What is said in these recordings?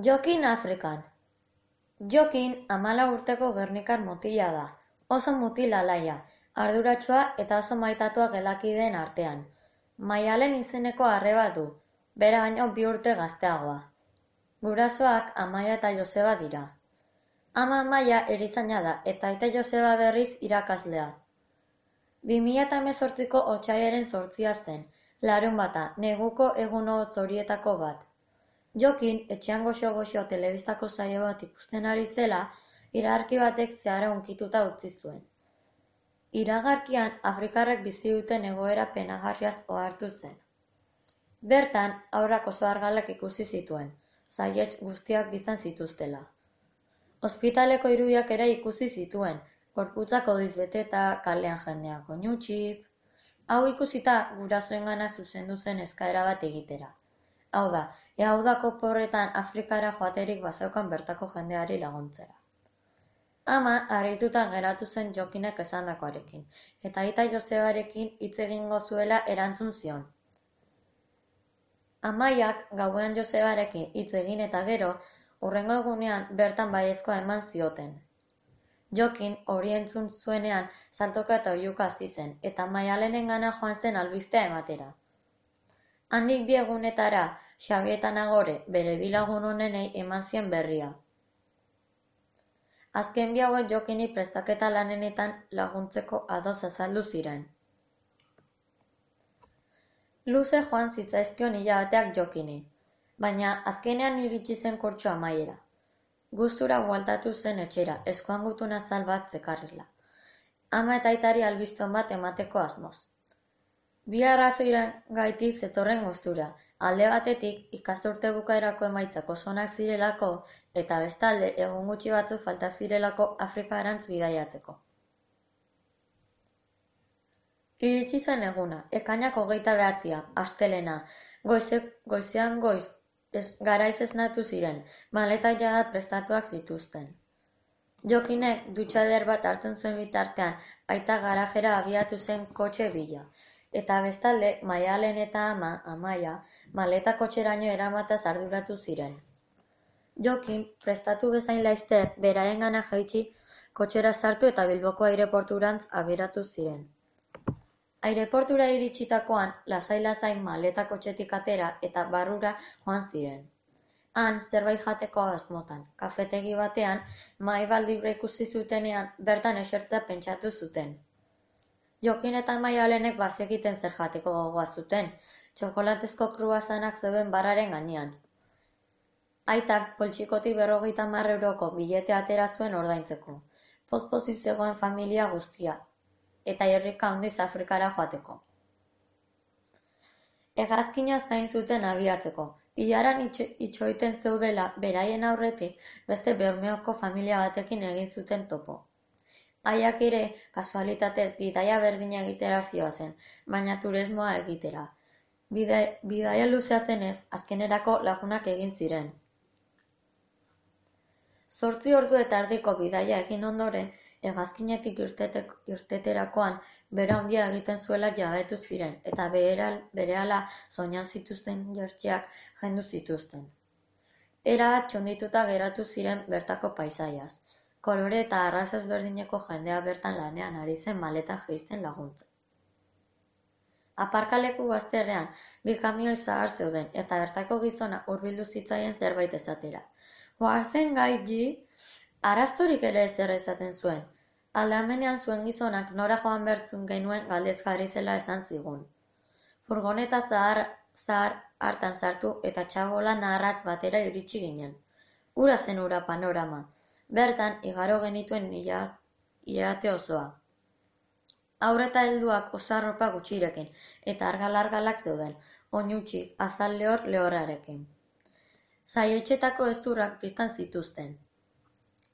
Jokin Afrikan. Jokin 14 urteko gernikar mutila da. Oso mutil alaia, arduratsua eta oso maitatua gelakideen artean. Maialen izeneko arreba du, bera baino 2 urte gazteagoa. Gurasoak Amaia eta Joseba dira. Ama Amaia erizaina da eta aita Joseba berriz irakaslea. 2018ko otsailaren 8 zen, larunbata, neguko egun hotz horietako bat. Jokin, etxean goxo-goxo telebistako saio bat ikusten ari zela, iragarki batek zehara hunkituta utzi zuen. Iragarkian, Afrikarrek bizi duten egoera penagarriaz ohartu zen. Bertan, haurrak oso argalak ikusi zituen, saihets guztiak biztan zituztela. Ospitaleko irudiak ere ikusi zituen, gorputzak hodiz beteta, kalean jendeak oinutsik. Hau ikusita, gurasoengana zuzendu zen eskaera bat egitera. Hau da, udako porretan Afrikara joaterik bazeukan bertako jendeari laguntzera. Ama harrituta geratu zen Jokinek esandakoarekin, eta aita Josebarekin hitz egingo zuela erantzun zion. Amaiak gauean Josebarekin hitz egin eta gero, hurrengo egunean bertan baiezkoa eman zioten. Jokin hori entzun zuenean saltoka eta oihuka hasi zen, eta Maialenengana joan zen albistea ematera. Handik 2 egunetara, Xabi eta Nagore bere bi lagun onenei eman zien berria. Azken 2 hauek Jokini prestaketa lanenetan laguntzeko ados azaldu ziren. Luze joan zitzaizkion hilabeteak Jokini, baina azkenean iritsi zen kurtso amaiera. Gustura bueltatu zen etxera, eskuan gutun azal bat zekarrela. Ama eta aitari albiston bat emateko asmoz. 2 arrazoiren gaitik zetorren gustura, alde batetik ikasturte bukaerako emaitzak oso onak zirelako eta bestalde egun gutxi batzuk falta zirelako Afrikarantz bidaiatzeko. Iritsi zen eguna, ekainak 29, astelena, goizean garaiz esnatu ziren, maletak jada prestatuak zituzten. Jokinek dutxa eder bat hartzen zuen bitartean, aita garajera abiatu zen kotxe bila. Eta bestalde, Maialen eta ama, Amaia, maleta kotxeraino eramataz arduratu ziren. Jokin, prestatu bezain laizter, beraengana jaitsi, kotxera sartu eta Bilboko aireporturantz abieratu ziren. Aireportura iritsitakoan, lasai-lasai maleta kotxetik atera eta barrura joan ziren. Han, zerbait jateko asmotan, kafetegi batean, mahai bat libre ikusi zutenean, bertan esertzea pentsatu zuten. Jokin eta Maialenek bazekiten zer jateko gogoa zuten, txokolatezko kruasanak zeuden barraren gainean. Aitak poltsikotik 50 euroko bilete atera zuen ordaintzeko, poz-pozik zegoen familia guztia, eta irrika handiz Afrikara joateko. Hegazkina zain zuten abiatzeko, ilaran itxoiten zeudela beraien aurretik beste Bermeoko familia batekin egin zuten topo. Haiak ere, kasualitatez, bidaia berdina egitera zioazen, baina turismoa egitera. Bidaia luzea zenez, azkenerako lagunak egin ziren. 8 ordu eta erdiko bidaia egin ondoren, hegazkinetik irteterakoan bera handia egiten zuela jabetu ziren, eta berehala soinan zituzten jertxeak jendu zituzten. Erabat txondituta geratu ziren bertako paisaiaz. Kolore eta arraza ezberdineko jendea bertan lanean ari zen maleta jeisten laguntzen. Aparkaleku bazterrean 2 kamioi zahar zeuden eta bertako gizona hurbildu zitzaien zerbait esatera. Oartzen gaitzi, arastorik ere ezer esaten zuen. Aldamenean zuen gizonak nora joan bertzun genuen galdezkari zela esan zigun. Furgoneta zahar hartan sartu eta txabola naharratz batera iritsi ginen. Ura zen ura panorama. Bertan, igaro genituen hilabete osoa. Haur eta helduak oso arropa gutxirekin, eta argal-argalak zeuden, oinutsik, azal lehorrarekin. Saihetxetako hezurrak piztan zituzten.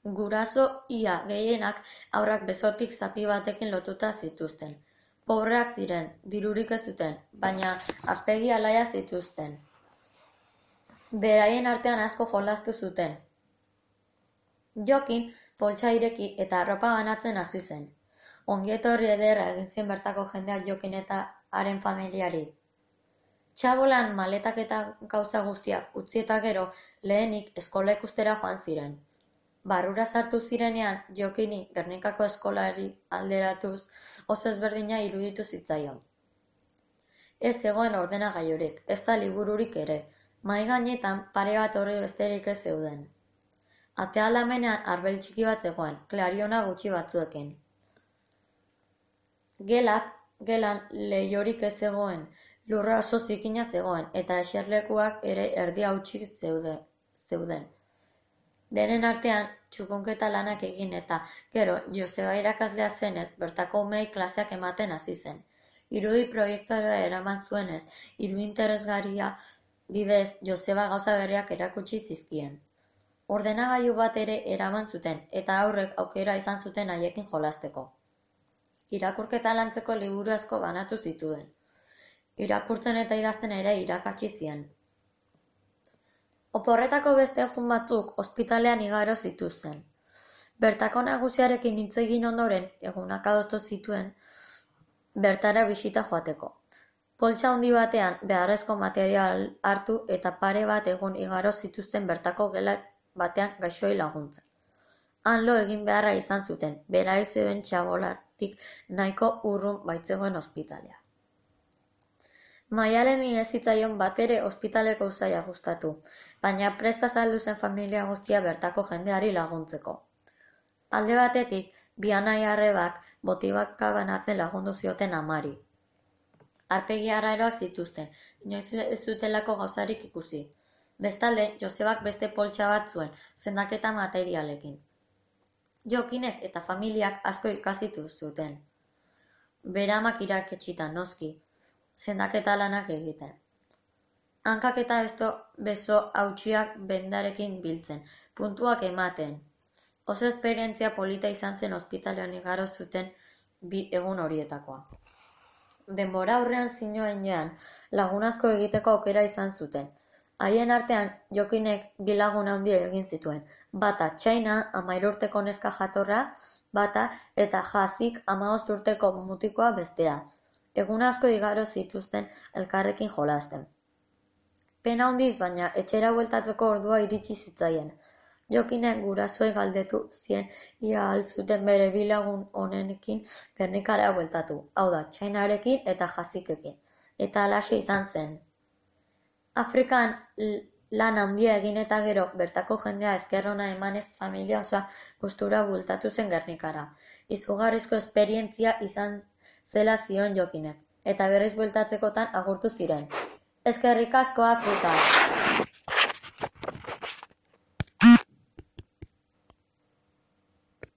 Guraso ia gehienak haurrak besotik zapi batekin lotuta zituzten. Pobreak ziren, dirurik ez zuten, baina aurpegi alaiak zituzten. Beraien artean asko jolastu zuten. Jokin poltsa ireki eta arropa banatzen hasi zen. Ongietorri ederra egin zien bertako jendeak Jokin eta haren familiari. Txabolan maletak eta gauza guztiak utzi eta gero lehenik eskola ikustera joan ziren. Barrura sartu zirenean Jokini Gernikako eskolari alderatuz oso ezberdina iruditu zitzaion. Ez zegoen ordenagailurik, ez da libururik ere, mahai gainetan pare bat horri besterik ez zeuden. Ate aldamenean arbel txiki bat zegoen, klariona gutxi batzuekin. Gelan leihorik ez zegoen, lurra oso zikina zegoen, eta eserlekuak ere erdi hautsik zeuden. Denen artean, txukunketa lanak egin eta, gero, Joseba irakaslea zenez, bertako umeei klaseak ematen hasi zen. Irudi proiektora eraman zuenez, hiru interesgarria bidez Joseba gauza berriak erakutsi zizkien. Ordenagailu bat ere eraman zuten, eta aurrek aukera izan zuten haiekin jolasteko. Irakurketa lantzeko liburu asko banatu zituen. Irakurtzen eta idazten ere irakatsi zien. Oporretako beste egun batzuk ospitalean igaro zituzten. Bertako nagusiarekin hitz egin ondoren, egunak adostu zituen, bertara bisita joateko. Poltsa handi batean beharrezko material hartu eta pare bat egun igaro zituzten bertako gela batean gaixoei laguntzen. Han lo egin beharra izan zuten, berai zeuden Txabolatik nahiko urrun baitzegoen ospitalea. Maialeni ez zitzaion batere ospitaleko usaia gustatu, baina presta saldu zen familia guztia bertako jendeari laguntzeko. Alde batetik, bi anai-arrebak botibaka banatzen lagundu zioten amari. Arpegi arraroak zituzten, inoiz ez zutelako gauzarik ikusi. Bestalde, Josebak beste poltsa bat zuen, sendaketa materialekin. Jokinek eta familiak asko ikasitu zuten. Beramak iraketsita noski, sendaketa lanak egiten. Hankak eta beso hautsiak bendarekin biltzen, puntuak ematen. Oso esperientzia polita izan zen ospitalean igaro zuten bi egun horietakoa. Denbora aurrean zinoenean lagun asko egiteko aukera izan zuten. Haien artean Jokinek bi lagun handi egin zituen, bata Txaina 13 urteko neska jatorra, bata eta Jazik 15 urteko mutikoa bestea. Egun asko igaro zituzten elkarrekin jolasten. Pena handiz baina etxera bueltatzeko ordua iritsi zitzaien. Jokinek gurasoei galdetu zien ia ahal zuten bere bi lagun honenekin Gernikara bueltatu, hau da, Txainarekin eta Jazikekin, eta halaxe izan zen. Afrikan lan handia egin eta gero bertako jendea esker ona emanez familia osoa gustura bueltatu zen Gernikara. Izugarrizko esperientzia izan zela zioen Jokinek, eta berriz bueltatzekotan agurtu ziren. Eskerrik asko Afrika!